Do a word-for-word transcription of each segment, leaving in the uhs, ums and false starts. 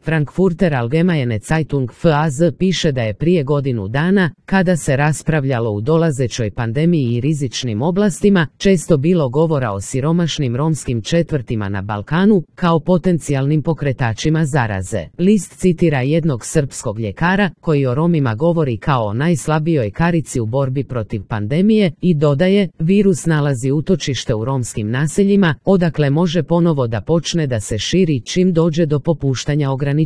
Frankfurter Allgemeine Zeitung F A Z piše da je prije godinu dana, kada se raspravljalo u dolazećoj pandemiji i rizičnim oblastima, često bilo govora o siromašnim romskim četvrtima na Balkanu, kao potencijalnim pokretačima zaraze. List citira jednog srpskog ljekara, koji o Romima govori kao o najslabijoj karici u borbi protiv pandemije, i dodaje, virus nalazi utočište u romskim naseljima, odakle može ponovo da počne da se širi čim dođe do popuštanja ograničenja.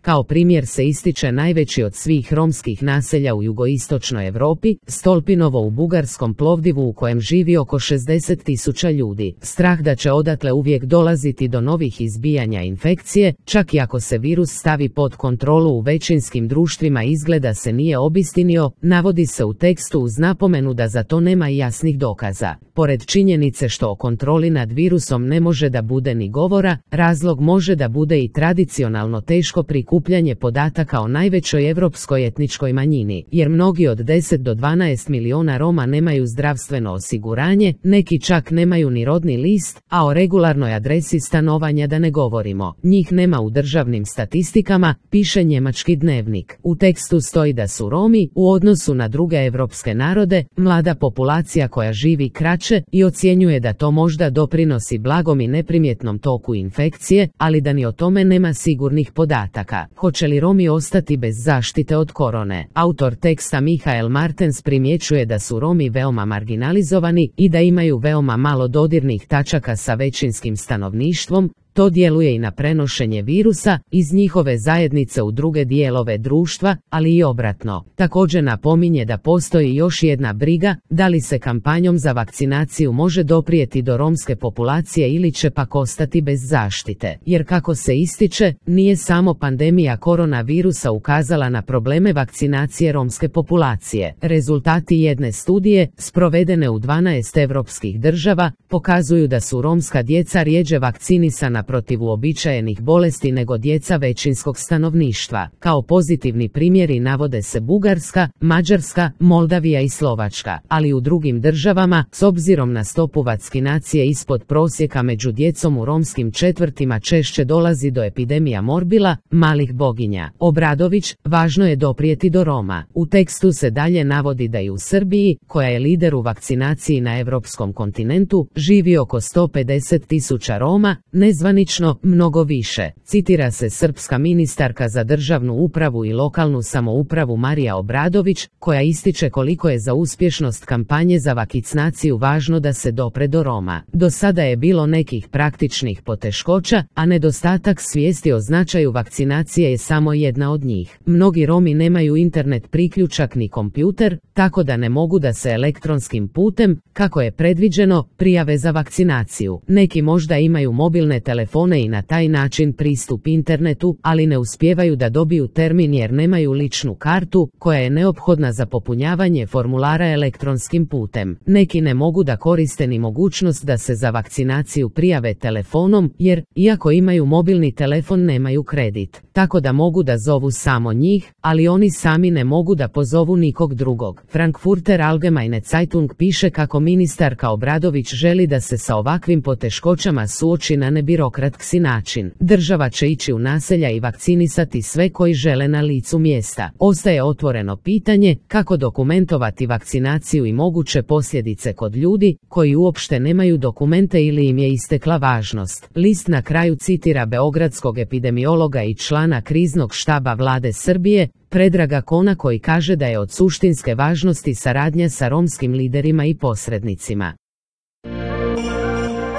Kao primjer se ističe najveći od svih romskih naselja u jugoistočnoj Europi, Stolpinovo u bugarskom Plovdivu u kojem živi oko šezdeset tisuća ljudi. Strah da će odatle uvijek dolaziti do novih izbijanja infekcije, čak i ako se virus stavi pod kontrolu u većinskim društvima, izgleda se nije obistinio, navodi se u tekstu uz napomenu da za to nema jasnih dokaza. Pored činjenice što o kontroli nad virusom ne može da bude ni govora, razlog može da bude i tradicionalno teško prikupljanje podataka o najvećoj evropskoj etničkoj manjini, jer mnogi od deset do dvanaest miliona Roma nemaju zdravstveno osiguranje, neki čak nemaju ni rodni list, a o regularnoj adresi stanovanja da ne govorimo. Njih nema u državnim statistikama, piše njemački dnevnik. U tekstu stoji da su Romi, u odnosu na druge evropske narode, mlada populacija koja živi kraće i ocjenjuje da to možda doprinosi blagom i neprimjetnom toku infekcije, ali da ni o tome nema sigurnih podataka. Hoće li Romi ostati bez zaštite od korone? Autor teksta Michael Martens primjećuje da su Romi veoma marginalizovani i da imaju veoma malo dodirnih tačaka sa većinskim stanovništvom. To djeluje i na prenošenje virusa iz njihove zajednice u druge dijelove društva, ali i obratno. Također napominje da postoji još jedna briga, da li se kampanjom za vakcinaciju može doprijeti do romske populacije ili će pak ostati bez zaštite. Jer kako se ističe, nije samo pandemija koronavirusa ukazala na probleme vakcinacije romske populacije. Rezultati jedne studije, sprovedene u dvanaest evropskih država, pokazuju da su romska djeca rjeđe vakcinisana protiv uobičajenih bolesti nego djeca većinskog stanovništva. Kao pozitivni primjeri navode se Bugarska, Mađarska, Moldavija i Slovačka, ali u drugim državama, s obzirom na stopu vakcinacije ispod prosjeka među djecom u romskim četvrtima, češće dolazi do epidemija morbila, malih boginja. Obradović, važno je doprijeti do Roma. U tekstu se dalje navodi da i u Srbiji, koja je lider u vakcinaciji na evropskom kontinentu, živi oko sto pedeset tisuća Roma, nezvanično mnogo više. Citira se srpska ministarka za državnu upravu i lokalnu samoupravu Marija Obradović, koja ističe koliko je za uspješnost kampanje za vakcinaciju važno da se dopre do Roma. Do sada je bilo nekih praktičnih poteškoća, a nedostatak svijesti o značaju vakcinacije je samo jedna od njih. Mnogi Romi nemaju internet priključak ni kompjuter, tako da ne mogu da se elektronskim putem, kako je predviđeno, prijave za vakcinaciju. Neki možda imaju mobilne telefone i na taj način pristup internetu, ali ne uspijevaju da dobiju termin jer nemaju ličnu kartu, koja je neophodna za popunjavanje formulara elektronskim putem. Neki ne mogu da koriste ni mogućnost da se za vakcinaciju prijave telefonom, jer, iako imaju mobilni telefon, nemaju kredit. Tako da mogu da zovu samo njih, ali oni sami ne mogu da pozovu nikog drugog. Frankfurter Allgemeine Zeitung piše kako ministarka Obradović želi da se sa ovakvim poteškoćama suoči na nebirokratski način. Država će ići u naselja i vakcinisati sve koji žele na licu mjesta. Ostaje otvoreno pitanje kako dokumentovati vakcinaciju i moguće posljedice kod ljudi koji uopšte nemaju dokumente ili im je istekla važnost. List na kraju citira beogradskog epidemiologa i člana kriznog štaba vlade Srbije, Predraga Kona, koji kaže da je od suštinske važnosti saradnja sa romskim liderima i posrednicima.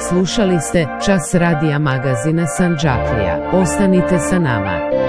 Slušali ste Čas radija magazina Sandžaklija. Ostanite sa nama.